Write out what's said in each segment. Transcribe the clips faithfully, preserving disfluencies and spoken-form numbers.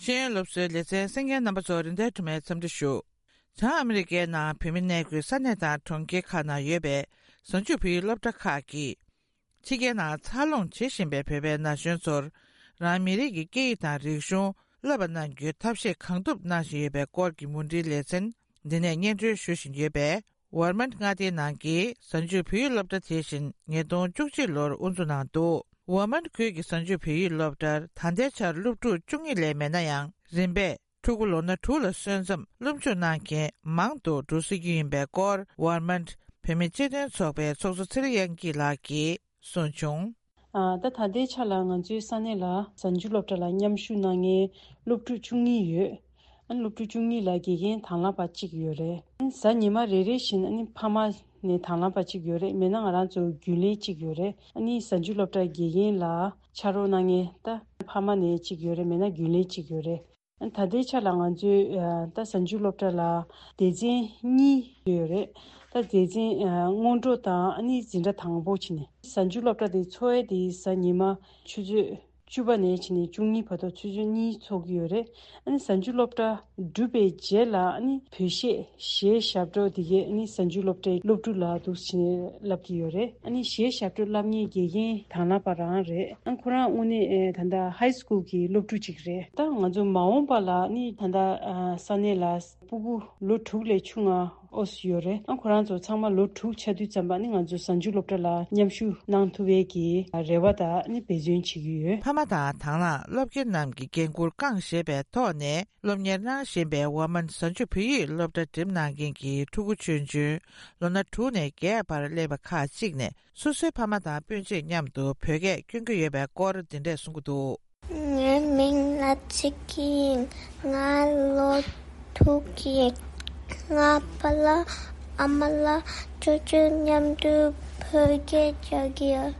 ཤེས་ཡོན་སློབ་གསོའི་ལེ་ཚན་གསན་མཁན་རྣམ་པ་ཚོ་རིན་ལྡན་སྒྲོལ་མས་འཚམས་འདྲི་ཞུ། བྱང་ཨ་མི་རི་ཀའི་ནང་བོད་མི་གནས་འཁོད་ས་གནས་དང་གྲོང་ཁྱེར་ཁག་ནང་ཡོད་པའི་གཟའ་མཇུག་བོད་ཡིག་སློབ་གྲྭ་ཁག་གིས། ཕྱི་རྒྱལ་ནང་འཚར་ལོངས་བྱེད་བཞིན་པའི་བོད་པའི་ན་གཞོན་ཚོར། རང་མི་རིགས་ཀྱི་སྐད་ཡིག་དང་རིག་གཞུང་བསླབ་པ་གནང་རྒྱུའི་ཐབས་ཤེས་གང་ཐུབ་གནང་བཞིན་ཡོད་པའི་སྐོར་གྱི་མུ་འབྲེལ་ལེ་ཚན་འདི་ནས་སྙན་སྒྲོན་ཞུ་བཞིན་ཡོད་པས། ཝར་མན་མངའ་སྡེའི་ནང་གི་གཟའ་མཇུག་བོད་ཡིག་སློབ་གྲྭ་དེ་བཞིན་ཉིས་སྟོང་བཅུ་གཅིག་ལོར་དབུ་འཛུགས་གནང་འདུག་ཝར་མན་ཁུལ་གྱི་གཟའ་མཇུག་བོད་ཡིག་སློབ་གྲྭར་ད་ལྟའི་ཆར་སློབ་ཕྲུག་བཅུ་གཉིས་ལས་མེད་ན་ཡང་། རིམ་པས་ཕྲུ་གུ་ལོ་ན་དྲུག་ལ་སོན་ཙམ་སློབ་འཇུག་གནང་མཁན་མང་དུ་འགྲོ་སྲིད་རྒྱུ་ཡིན་པའི་སྐོར། ཝར་མན་བོད་མི་སྤྱི་མཐུན་ཚོགས་པའི་ཚོགས་གཙོ་ཚེ་རིང་དབྱངས་སྐྱིད་ལགས་ཀྱིས་གསུངས་བྱུང་། ཨ། ད་ད་ལྟའི་ཆ་ལ་ང་ཚོའི་ས་གནས་ལ་གཟའ་མཇུག་སློབ་གྲྭ་ལ་མཉམ་ཞུགས་གནང་མཁན་སློབ་ཕྲུག་བཅུ་གཉིས་ཡོད། ཨ། སློབ་ཕྲུག་བཅུ་གཉིས་ལ་དགེ་རྒན་དང་བླངས་པ་གཅིག་ཡོད་རེད། ཨ། གཟའ་ཉི་མ་རེ་རེ་བཞིན་ཨ་ནི་ཕ་མ་ནས་དང་བླངས་པ་གཅིག་ཡོད་རེད། མེད་ན་ང་རང་ཚོ་རྒྱུན་ལས་གཅིག་ཡོད་རེད། ཨ་ནི་གཟའ་མཇུག་སློབ་གྲྭ་དགེ་རྒན་ལ་ཕྱག་རོགས་གནང་མཁན་ད་ཕ་མ་ནས་གཅིག་ཡོད་རེད། མེད་ན་རྒྱུན་ལས་གཅིག་ཡོད་རེད། ད་ལྟའི་ཆ་ལ་ང་ཚོའི་ཨ་ད་གཟའ་མཇུག་སློབ་གྲྭ་ལ་སྡེ་ཚན་གཉིས་ཡོད་རེད། ད་སྡེ་ཚན་ཨ་སྔོན་འགྲོ་དང་ཨ་ནི་འཛིན་གྲྭ་དང་པོ་བྱས་ནས་གཟའ་མཇུག་སློབ་གྲྭ་དེ་འཚོགས་ཡས་དེ་གཟའ་ཉི་མ་ཆུ་ཚོད་བཅུ་པ་ནས་བྱས་ནས་བཅུ་གཉིས་བར་དུ་ཆུ་ཚོད་གཉིས་འཚོགས་ཀྱི་ཡོད་རེད། ཨ་ནི་གཟའ་མཇུག་སློབ་གྲྭ་གྲུབ་པའི་རྗེས་ལ་ཨ་ནི་བོད་གཞས་གཞས་ཞབས་བྲོ་དེ་གས་ཨ་ནི་གཟའ་མཇུག་སློབ་གྲྭའི་སློབ་ཕྲུག་ལ་འདུག་སེ་བྱས་ནས་བསླབ་ཀྱི་ཡོད་རེད། ཨ་ནི་གཞས་ཞབས་བྲོ་བསླབ་མཁན་དགེ་རྒན་དང་བླངས་པ་རང་རེད། ཨ་ཁོ་རང་དངོས་གནས་ཨེ་ད་ལྟ་ཧའི་སི་ཀུལ་གྱི་སློབ་ཕྲུག་ཅིག་རེད། ད་ང་ཚོ་མ་འོངས་པ་ལ་ཨ་ནི་ད་ལྟ་ཨ་ས་གནས་ལ་སྤུ་གུ་ལོ་དྲུག་ལས་ཆུང་ང་ཨོ་སི་ཡོད་རེད། ཨ་ཁོ་རང་ཚོ་ཚང་མ་ལོ་དྲུག་ཆགས་དུས་ཙམ་པ་ཨ་ནི་ང་ཚོ་གཟའ་མཇུག་སློབ་གྲྭ་ལ་མཉམ་ཞུགས་གནང་ཐུབ་པའི་གི་རེ་བ་དང་ཨ་ནི་འབད་བརྩོན་བྱེད་ཀྱི་ཡོད། ཕ་མ་དང་དང་བླངས་སློབ་དགེ་རྣམས་ཀྱི་འགན་འཁུར་བསྐངས་བཞེས་པའི་ཐོག་ནས། སློབ་གཉེར་གནང་བཞིན་པའི་ཝར་མན་གཟའ་མཇུག་བོད་ཡིག་སློབ་གྲྭ་འགྲིམ་གནང་མཁན་གྱི་ཕྲུ་གུ་ཆུང་ཆུང་ལོ་ན་དྲུག་ནས་བརྒྱད་བར་སླེབས་པ་ཁག་ཅིག་ནས་སོ་སོའི་ཕ་མ་དང་སྤུན་མཆེད་མཉམ་དུ་བོད་སྐད་སྐྱོན་གྱི་ཡོད་པའི་སྐོར་འདི་འདྲས་གསུང་གི་འདུག་ངའི་མིང་ལ་ཚིག་ཡིན། ང་ལོ་དྲུག་ཡིན། ང་པ་ལགས་ཨ་མ་ལགས་ཆུང་ཆུང་མཉམ་དུ་བོད་སྐད་རྒྱག་གི་ཡོད།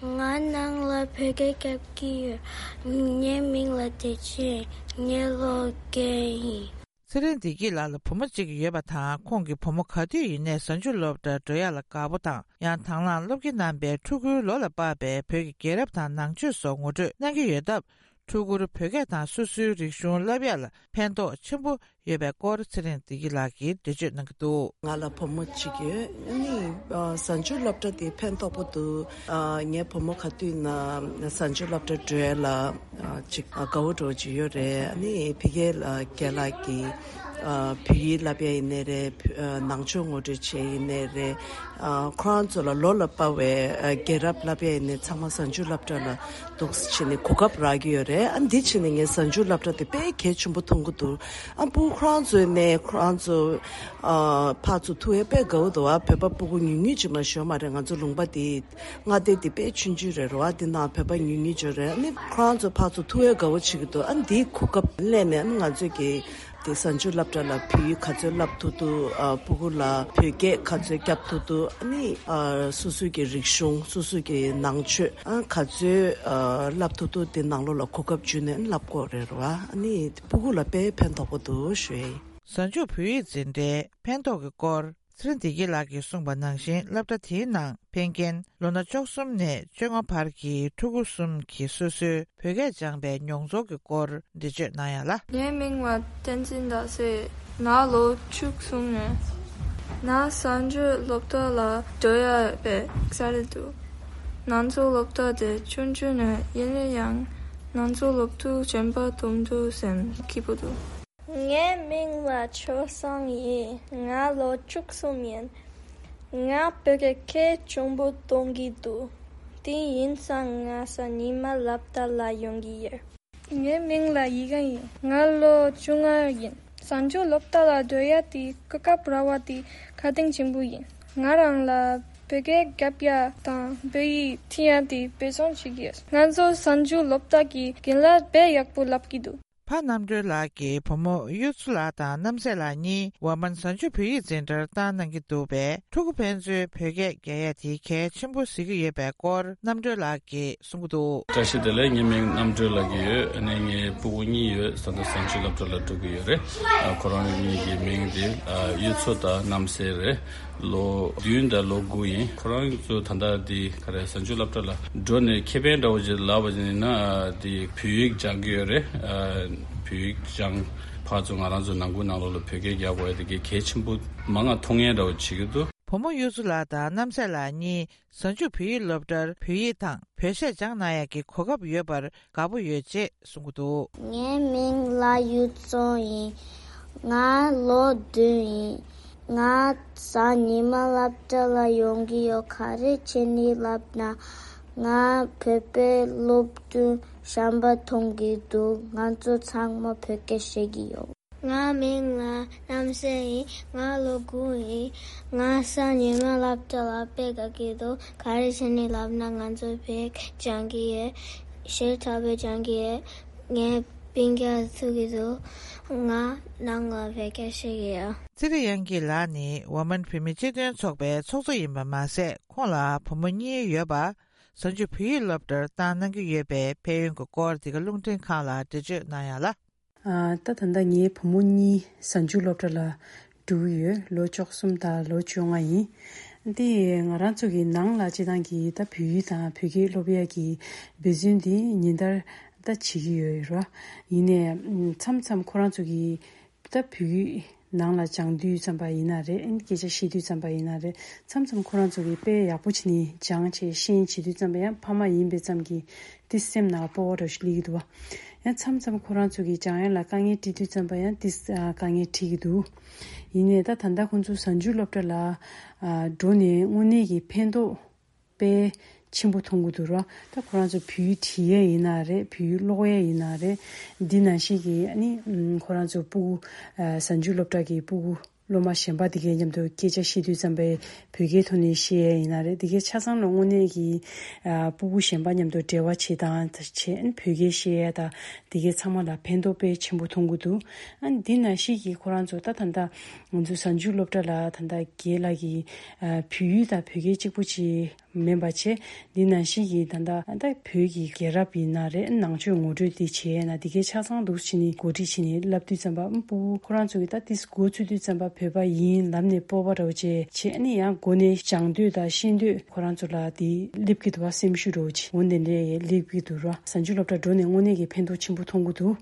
ང་ནང་ལ་བོད་སྐད་རྒྱབ་ཀྱི་ཡོད། ངའི་མིང་ལ་བདེ་ཆེན། ངའི་ལོ་བརྒྱད་ཡིན། ཚེ་རིང་བདེ་སྐྱིད་ལགས་ལ་བུ་མོ་གཅིག་ཡོད་པ་དང་། ཁོང་གི་བུ་མོ་ག་དུས་ཡིན་ནའི་གཟའ་མཇུག་སློབ་གྲྭར་འགྲོ་ཡག་ལ་དགའ་པོ་དང་། ཡང་དང་བླངས་སློབ་དགེ་རྣམ་པས་ཕྲུ་གུའི་ལོ་ལ་དཔག་པའི་བོད་ཀྱི་རྒྱལ་རབས་དང་ནང་ཆོས་སོགས་ངོ་སྤྲོད་གནང་གི་ཡོད་སྟབས། ཕྲུ་གུར་བོད་སྐད་དང་སོ་སོའི་རིག་གཞུང་བསླབ་ཡག་ལ་ཕན་ཐོགས་ཆེན་པོ་ཡོད་པའི་སྐོར་ཚེ་རིང་བདེ་སྐྱིད་ལགས་ཀྱིས་འགྲེལ་བརྗོད་གནང་གི་འདུག་ང་ལ་བུ་མོ་གཅིག་ཡོད། ཨ་ནི་ཨ་གཟའ་མཇུག་སློབ་གྲྭ་དེ་ཕན་ཐོགས་པོ་འདུག་ཨ་ངའི་བུ་མོ་ག་དུས་ན་གཟའ་མཇུག་སློབ་གྲྭ་འགྲོ་ཡ་ལ་ཨ་ཅིག་ཨ་དགའ་བོ་འགྲོ་ཅིག་ཡོད་རེད། ཨ་ནི་ཕ་གི་ལ་རྒན་ལགས་ཀྱིས་ཨ་བོད་ཡིག་བསླབ་ཡ་ཡིན་ནའི་རེད། ཨ་ནང་ཆོས་ངོ་སྤྲོད་བྱས་ཡིན་ནའི་རེད། ཨ་ཁོ་རང་ཚོ་ལ་ལོ་ལ་དཔག་པའི་ཨ་རྒྱལ་རབས་བསླབ་ཡ་ཡིན་ནའི་ཚང་མ་གཟའ་མཇུག་སློབ་གྲྭ་ལ་འདུག་སེ་བྱས་ནས་གོ་སྐབས་རག་གི་ཡོད་རེད། ཨ་འདི་བྱས་ནས་ངས་གཟའ་མཇུག་སློབ་གྲྭ་དེ་དཔེ་གལ་ཆེན་པོ་མཐོང་གི་འདུག་ཨ་སྤུ་གུ་ཁོ་རང་ཚོའི་ནས་ཁོ་རང་ཚོ་ཨ་ཕར་ཚུར་ཐུག་ཡས་དཔེ་དགའ་བོ་འདུག་ཨ་བོད་པ་སྤུ་གུ་ཉུང་ཉུང་ཅིག་མ་ཞོ་མ་རེད། ང་ཚོ་ལུང་པ་དེ་མངའ་སྡེ་དེ་དཔེ་ཆུང་ཆུང་རེད་རོ། ཨ་དེ་ནང་བོད་པ་ཉུང་ཉུང་ཅིག་རེད། ཨ་ནི་ཁོ་རང་ཚོ་ཕར་ཚུར་ཐུག་ཡས་དགའ་བོ་བྱེད་ཀྱི་འདུག་ཨ་འདིའི་གོ་སྐབས་ལེན་ནས་ཨ་ནི་ང་ཚོས་ཀྱི་དེ་གཟའ་མཇུག་སློབ་གྲྭ་ལ་བོད་ཡིག་ག་ཚོད་བསླབ་ཐུབ་ཐུབ། ཨ་སྤུ་གུ་ལ་བོད་སྐད་ག་ཚོད་བརྒྱབ་ཐུབ་ཐུབ། ཨ་ནི་ཨ་སོ་སོའི་གི་རིག་གཞུང་སོ་སོའི་གི་ནང་ཆོས་ཨ་ག་ཚོད་ཨ་བསླབ་ཐུབ་ཐུབ་དེ་ནང་ལོགས་ལ་གོ་སྐབས་བརྒྱུད་ནས་བསླབ་དགོས་རེད་རོ། ཨ་ནི་སྤུ་གུ་ལ་དཔེ་ཕན་ཐོགས་པོ་འདུག་ཞུ་ཡ་ཡིན། གཟའ་མཇུག་བོད་ཡིག་འཛིན་གྲྭའི་ཕན་ཐོགས་ཀྱི་སྐོར་ཚེ་རིང་བདེ་སྐྱིད་ལགས་ཀྱིས་གསུངས་པ་ནང་བཞིན། སློབ་གྲྭ་དེའི་ནང་ཕེབས་མཁན་ལོ་ན་བཅུ་གསུམ་ནས་བཅོ་ལྔ་བར་གྱི་ཕྲུ་གུ་གསུམ་གྱིས་སོ་སོའི་བོད་སྐད་སྦྱངས་པའི་མྱོང་ཚོར་གྱི་སྐོར་འགྲེལ་བརྗོད་གནང་ཡ་ལ། ངའི་མིང་ལ་བསྟན་འཛིན་ཟླ་ཟེར། ང་ལོ་བཅུ་གསུམ་ཡིན། ང་གཟའ་མཇུག་སློབ་གྲྭ་ལ་འགྲོ་ཡ་དཔེ་དགའ་རེད་འདུག་ང་ཚོ་སློབ་གྲྭ་དེ་ཆུང་ཆུང་ནས་ཡིན་ན་ཡང་ང་ཚོ་སློབ་ཕྲུག་གཞན་པ་མཐོང་དུས་སེམས་སྐྱིད་པོ་འདུག་ངའི་མིང་ལ་ཆོས་བཟང་ཡིན། ང་ལོ་བཅུ་གསུམ་ཡིན། ང་བོད་སྐད་གལ་ཆེན་པོ་མཐོང་གི་འདུག་དེ་ཡིན་ཙང་ང་གཟའ་ཉི་མ་སློབ་གྲྭ་ལ་ཡོང་གི་ཡོད། ངའི་མིང་ལ་ཡིད་དགའ་ཡིན། ང་ལོ་བཅོ་ལྔ་ཡིན། གཟའ་མཇུག་སློབ་གྲྭ་ལ་སྡོད་ཡ་དེ་གོ་སྐབས་རག་པ་དེ་དགའ་སྟོན་ཆེན་པོ་ཡིན། ང་རང་ལ་བོད་སྐད་རྒྱབ་ཡ་དང་བོད་ཡིག་ཁྲིད་ཡ་དེ་འབད་བརྩོན་བྱེད་ཀྱི་ཡོད། ང་ཚོ་གཟའ་མཇུག་སློབ་གྲྭ་གི་རྒན་ལགས་དཔེ་ཡག་པོ་བསླབ་ཀྱི་འདུག་ཕ་རྣམ་གྲོལ་ལགས་ཀྱི་བུ་མོ་གཡུ་མཚོ་ལགས་དང་རྣམ་སྲས་ལགས་གཉིས་ཝར་མན་གཟའ་མཇུག་བོད་ཡིག་འཛིན་གྲྭར་བཏང་གནང་གི་འདུག་པས། ཕྲུ་གུ་ཕན་ཚུན་བོད་སྐད་རྒྱག་ཡ་དེ་གལ་ཆེན་པོ་གཟིགས་ཀྱི་ཡོད་པའི་སྐོར་རྣམ་གྲོལ་ལགས་ཀྱིས་གསུང་གི་འདུག་བཀྲ་ཤིས་བདེ་ལེགས། ངའི་མིང་རྣམ་གྲོལ་ལགས་ཀྱི་ཡོད། ཨ་ནི་ངའི་སྤུ་གུ་གཉིས་ཡོད། ད་ལྟ་གཟའ་མཇུག་སློབ་གྲྭ་ལ་འགྲོ་གི་ཡོད་རེད། ཨ་ཁོ་རང་གཉིས་ཀྱི་མིང་དེ་ཨ་གཡུ་མཚོ་དང་རྣམ་སྲས་རེད། ལོ་བདུན་དང་ལོ་དགུ་ཡིན། ཁོ་རང་ཚོ་ད་ལྟ་དེ་ག་རེ་གཟའ་མཇུག་སློབ་གྲྭ་ལ་འགྲོ་ནས་ཁེ་ཕན་འདྲ་བོ་ཅིག་ལབ་པ་ཡིན་ན་ཨ་དེ་བོད་ཡིག་སྦྱང་གི་ཡོད་རེད། ཨ་ བོད་ཡིག་སྦྱང་ཕར་ཚུར་ང་རང་ཚོ་ནང་ཁུལ་ནང་ལོགས་ལ་བོད་སྐད་རྒྱག་དགོས་ཡ་དེ་གའི་གལ་ཆེན་པོ་མང་ང་མཐོང་ངེས་འདྲ་བོ་བྱེད་ཀྱི་འདུག་བུ་མོ་གཡུ་མཚོ་ལགས་དང་རྣམ་སྲས་ལགས་གཉིས་གཟའ་མཇུག་བོད་ཡིག་སློབ་གྲྭར་བོད་ཡིག་དང་བོད་གཞས་སྦྱང་གནང་ཡག་གི་གོ་སྐབས་ཡོད་པར་དགའ་པོ་ཡོད་ཅེས་གསུང་གི་འདུག་ངའི་མིང་ལ་གཡུ་མཚོ་ཡིན། ང་ལོ་བདུན་ཡིན། ང་གཟའ་ཉི་མ་སློབ་གྲྭ་ལ་ཡོང་གི་ཡོད། ག་རེ་བྱས་ནས་ལབ་ན། ང་བོད་པའི་སློབ་ཕྲུག་གཞན་པ་མཐོང་གི་འདུག་ང་ཚོ་ཚང་མ་བོད་སྐད་བཤད་ཀྱི་ཡོད། ང་མིང་ལ་རྣམ་སྲས་ཡིན། ང་ལོ་དགུ་ཡིན། ང་གཟའ་ཉི་མ་སློབ་གྲྭ་ལ་དཔེ་དགའ་གི་འདུག་ག་རེ་བྱས་ནས་ལབ་ན་ང་ཚོ་བོད་སྦྱང་གི་ཡོད། ཞེ་དྲག་པོ་སྦྱང་གི་ཡོད། ངའི་སྤུན་ཀྱག་ཐུག་གི་འདུག་ང་ནང་ལ་བོད་སྐད་བཤད་ཀྱི་ཡོད། ཙི་རི་དབྱངས་སྐྱིད་ལགས་ནི་འོ་མན་བོད་མི་སྤྱི་མཐུན་ཚོགས་པའི་ཚོགས་གཙོ་ཡིན་པ་མ་ཟད། ཁོང་ལ་བུ་མོ་གཉིས་ཡོད་པ། གཟའ་མཇུག་བོད་ཡིག་སློབ་གྲྭར་བཏང་གནང་གི་ཡོད་པའི་ཕན་ཡོན་གྱི་སྐོར་འདི་ག་རླུང་འཕྲིན་ཁང་ལ་འགྲེལ་བརྗོད་གནང་ཡག་ལ། ཨ། ད་ད་ལྟ་ངའི་བུ་མོ་གཉིས་གཟའ་མཇུག་སློབ་གྲྭ་ལ་འགྲོ་གི་ཡོད། ལོ་བཅུ་གསུམ་དང་ལོ་བཅོ་ལྔ་ཡིན། འདི་ང་རང་ཚོ་གི་ནང་ལ་སྤྱི་བཏང་གི་ད་བོད་ཡིག་དང་བོད་སྐད་སློབ་ཡག་གི་འབད་བརྩོན་འདི་ཉིན་ལྟར་ད་བྱེད་ཀྱི་ཡོད་རེད། ཡིན་ནའི་མཚམས་མཚམས་ཁོ་རང་ཚོ་གི་ད་བོད་ཡིག་ནང་ལ་སྦྱང་དུས་ཙམ་པ་ཡིན་ན་རེད། ཨ་ནི་སྐད་ཆ་བཤད་དུས་ཙམ་པ་ཡིན་ན་རེད། མཚམས་མཚམས་ཁོ་རང་ཚོ་གིས་དཔེ་ཡག་པོ་བྱས་ནས་སྦྱངས་བྱས་ཤེས་བྱེད་དུས་ཙམ་པ་ཡང་ཕ་མ་ཡིན་པའི་ཙམ་གྱིས་དེ་སེམས་ནང་སྤོབས་པ་འདྲ་ཞིག་སླེབས་ཀྱི་འདུག་བ། ཡང་མཚམས་མཚམས་ཁོ་རང་ཚོ་གིས་སྦྱང་ཡག་ལ་དཀའ་ངལ་འཕྲད་དུས་ཙམ་པ་ཡང་དེ་དཀའ་ངལ་འཕྲད་ཀྱི་འདུག་ཡིན་ནའི་ད་ད་ལྟ་ཁོང་ཚོ་གཟའ་མཇུག་སློབ་གྲྭ་ལ་འགྲོ་ནས་དངོས་གནས་ཀྱི་ཕན་ཐོགས་དཔེ་ཆེན་པོ་མཐོང་གི་འདུག་ར། ད་ཁོ་རང་ཚོ་བོད་ཡིག་བྲིས་ཡས་ཡིན་ན་རེད། བོད་ཡིག་ཀློག་ཡས་ཡིན་ན་རེད། འདི་ནང་བཞིན་གྱི་ཨ་ནི་ཁོ་རང་ཚོ་སྤུ་གུ་གཟའ་མཇུག་སློབ་གྲྭ་གི་སྤུ་གུ་སློབ་མ་གཞན་པ་དེ་གའི་མཉམ་དུ་སྐད་ཆ་བཤད་དུས་ཙམ་པའི་བོད་སྐད་ཐོག་ནས་བཤད་ཡས་ཡིན་ན་རེད། དེ་གའི་ཆ་ཚང་ལ་དངོས་གནས་ཀྱི་སྤུ་གུ་གཞན་པ་མཉམ་དུ་འབྲེལ་བ་བྱེད་སྟངས་བྱེད། ཨ་ནི་བོད་སྐད་བཤད་ཡས་དང་དེ་གའི་ཚང་མ་ལ་ཕན་ཐོགས་དཔེ་ཆེན་པོ་མཐོང་གི་འདུག་ཨ་ནི་འདི་ནང་བཞིན་གྱི་ཁོ་རང་ཚོ་ད་ད་ལྟ་ང་ཚོ་གཟའ་མཇུག་སློབ་གྲྭ་ལ་ད་ལྟ་རྒན་ལགས་ཀྱིས་བོད་ཡིག་དང་བོད་སྐད་གཅིག་པུ་གཅིག་མིན་པ་བྱས། འདི་ནང་བཞིན་གྱི་ད་ལྟ་ད་བོད་ཀྱི་རྒྱལ་རབས་ཡིན་ན་རེད། ནང་ཆོས་ངོ་སྤྲོད་འདི་བྱས་ན་འདི་གའི་ཆ་ཚང་འདུག་བྱས་ནས་གོ་སྒྲིག་བྱས་ནས་བསླབ་དུས་ཙམ་པ་ཨ་སྤུ་གུ་ཁོ་རང་ཚོ་གིས་ད་ཏིས་འགོ་ཚུགས་དུས་ཙམ་པ་བོད་པ་ཡིན་ལབ་ནས་སྤོབས་པ་འདྲ་བོ་བྱས་བྱས། ཨ་ནི་ཡང་འགོ་ནས་སྦྱང་འདོད་དང་ཤེས་འདོད་ཁོ་རང་ཚོ་ལ་འདི་སླེབས་ཀྱི་འདུག་བ། སེམས་ཤུགས་འདྲ་བོ་བྱས་འོ་འདི་འདྲས་སླེབས་ཀྱི་འདུག་ར། གཟའ་མཇུག་སློབ་གྲྭ་འགྲོ་ནས་དངོས་གནས་ཀྱི་ཕན་ཐོགས་ཆེན་པོ་མཐོང་གི་འདུག་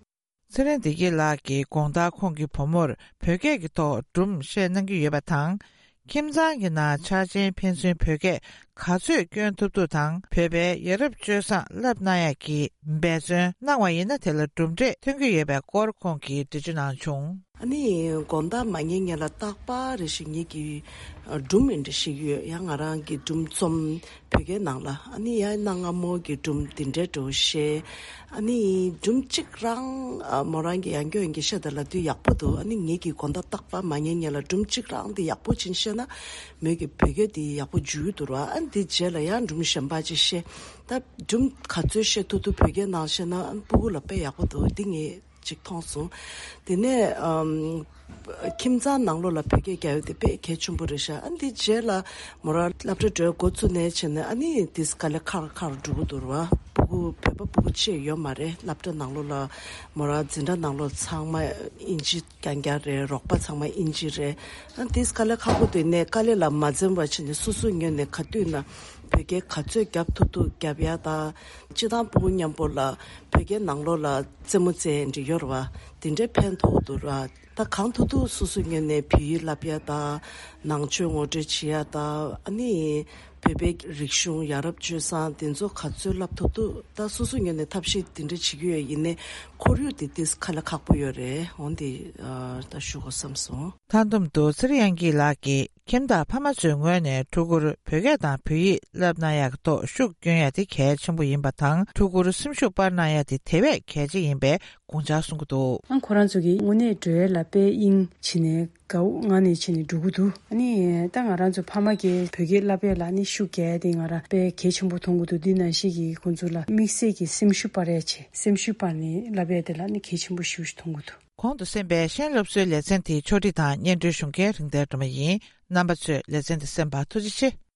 ཚེ་རིང་བདེ་སྐྱིད་ལགས་ཀྱིས་དགོང་དག་ཁོང་གི་བུ་མོར་བོད་སྐད་ཀྱི་ཐོག་སྒྲུང་བཤད་གནང་གི་ཡོད་པ་དང་། ཁྱིམ་ཚང་གི་ནང་ཆ་ཆེན་ཕན་ཚུན་བོད་སྐད་ག་ཚོད་སྐྱོན་ཐུབ་ཐུབ་དང་བོད་པའི་ཡ་རབས་སྤྱོད་བཟང་བསླབ་གནང་ཡག་གི་འབད་བརྩོན་གནང་བ་ཡིན་ན་དེ་ལ་གྲུབ་འབྲས་ཐོན་གྱི་ཡོད་པའི་སྐོར་ཁོང་གིས་འགྲེལ་བརྗོད་གནང་བྱུང་། ཨ་ནི་དགོང་དག་མ་ཉལ་སྔོན་ལ་རྟག་པར་རེ་ཞིག་ངེད་ཀྱི་སྒྲུང་འདི་འདྲ་ཞིག་ཡོད། ཡང་ང་རང་གི་སྒྲུང་རྩོམ་བོད་སྐད་ནང་ལ་ཨ་ནི་ཡང་གནའ་སྔ་མོ་གི་སྒྲུང་འདི་འདྲའི་འདྲ་བོ་བཤད། ཨ་ནི་སྒྲུང་གཅིག་རང་ཨ་མོ་རང་གི་ཡང་སྐྱོན་གྱི་བཤད་ད་ལབ་དུས་ཡག་པོ་འདུག་ཨ་ནི་ངེད་ཀྱི་དགོང་དག་རྟག་པར་མ་ཉལ་སྔོན་ལ་སྒྲུང་གཅིག་རང་འདི་ཡག་པོ་ཅིག་བཤད་ན་མོས་ཀྱི་བོད་སྐད་འདི་ཡག་པོ་འཇུ་གི་འདུག་ར། ཨ་ནི་འདི་རྗེས་ལ་ཡང་སྒྲུང་གཞན་པ་ཅིག་བཤད། ད་སྒྲུང་ག་ཚོད་བཤད་ཐུབ་ཐུབ་བོད་སྐད་ནང་བཤད་ན་ཨ་ནི་སྤུ་གུ་ལ་དཔེ་ཡག་པོ་འདུག་འདི་ངས་ཅིག་མཐོང་སོང་། དེ་ནས་ཨམ། ཁྱིམ་ཚང་ནང་ལོགས་ལ་བོད་སྐད་རྒྱག་ཡག་དེ་དཔེ་གལ་ཆེན་པོ་རེད་ཤག་ཨ་འདི་རྗེས་ལ་མོ་རང་སློབ་གྲྭ་འགྲོ་འགོ་བཙུགས་ནས་བྱས་ནས་ཨ་ནི་དེ་དཀའ་ལས་ཁག་ཁག་འགྲོ་གི་འདུག་ར། སྤུ་གུ་བོད་པ་སྤུ་གུ་བཅས་ཡོད་མ་རེད། སློབ་གྲྭ་ནང་ལོགས་ལ་མོ་རང་འཛིན་གྲྭ་ནང་ལོགས་ཚང་མ་ཨིན་ཇི་རྐྱང་རྐྱང་རེད། རོགས་པ་ཚང་མ་ཨིན་ཇི་རེད། ཨ་དེ་དཀའ་ལས་ཁག་པོ་དེ་ནས་དཀའ་ལས་ལ་མ་འཛེམ་པ་བྱས་ནས་སོ་སོའི་ངོས་ནས་ག་དུས་ན་བོད་སྐད་ག་ཚོད་རྒྱབ་ཐུབ་ཐུབ་རྒྱབ་ཡག་དང་། སྤྱི་བཏང་སྤུ་གུ་མཉམ་པོ་ལ་བོད་སྐད་ནང་ལོགས་ལ་རྩེད་མོ་རྩེ་འདྲ་ཡོད་རེད་བ། དེ་འདྲའི་ཕན་ཐོགས་འདུག་ར། ད་གང་ཐུབ་ཐུབ་སོ་སོའི་ངོས་ནས་བོད་ཡིག་བསླབ་ཡ་དང་ནང་ཆོས་ངོ་སྤྲོད་བྱེད་ཡ་དང་ཨ་ནི་བོད་པའི་རིག་གཞུང་ཡ་རབས་སྤྱོད་བཟང་དེ་ཚོ་ག་ཚོད་བསླབ་ཐུབ་ཐུབ་ད་སོ་སོའི་ངོས་ནས་ཐབས་ཤེས་དེ་འདྲ་བྱེད་ཀྱི་ཡོད། ཡིན་ནའི་ཁོར་ཡུག་དེ་ཏིས་ཁ་ལས་ཁག་པོ་ཡོད་རེད། འོན་ཏེ་ད་ཞུ་དགོས་བསམ་སོང་། མཐའ་སྡོམ་དུ་ཚེ་རིང་དབྱངས་སྐྱིད་ལགས་ཀྱིས་ཁྱིམ་བདག་ཕ་མ་ཚོའི་ངོས་ནས་ཕྲུ་གུར་བོད་སྐད་དང་བོད་ཡིག་བསླབ་གནང་ཡག་ཐོག་ཤུགས་སྐྱོན་ཡ་དེ་གལ་ཆེན་པོ་ཡིན་པ་དང་ཕྲུ་གུར་སེམས་ཤུགས་སྤར་གནང་ཡ་དེ་དེ་བས་གལ་ཆེ་ཡིན་པའི་དགོངས་འཆར་གསུང་གི་འདུག་ཨང་ཁོ་རང་ཚོ་གིས་དངོས་གནས་འགྲོ་ཡ་ལ་དཔེ་དབྱིངས་བྱས་ནས་དགའ་བོ་ངང་ནས་བྱས་ནས་འགྲོ་གི་འདུག་ཨ་ནི་ད་ང་རང་ཚོ་ཕ་མ་གིས་བོད་སྐད་བསླབ་ཡ་ལ་ནི་ཤུགས་རྒྱག་ཡ་དེ་ང་རང་དཔེ་གལ་ཆེན་པོ་མཐོང་གི་འདུག་འདི་ནང་བཞིན་གྱི་ཁོང་ཚོ་ལ་དམིགས་བསལ་གྱི་སེམས་ཤུགས་སྤར་ཡ་བྱས་སེམས་ཤུགས་སྤར་ནས་བསླབ་ཡ་དེ་ལ་ནི་གལ་ཆེན་པོ་ཞེ་པོ་ཞིག་མཐོང་གི་འདུག་གོང་དུ་གསན་པའི་གཞན་སློབ་གསོའི་ལེ་ཚན་དེའི་ཕྱོགས་སྒྲིག་དང་སྙན་སྒྲོན་ཞུ་མཁན་རིག་ལྡན་སྒྲོལ་མ་ཡིན། རྣམ་པ་ཚོས་ལེ་ཚན་དེ་གསན་པར་ཐུགས་རྗེ་ཆེ།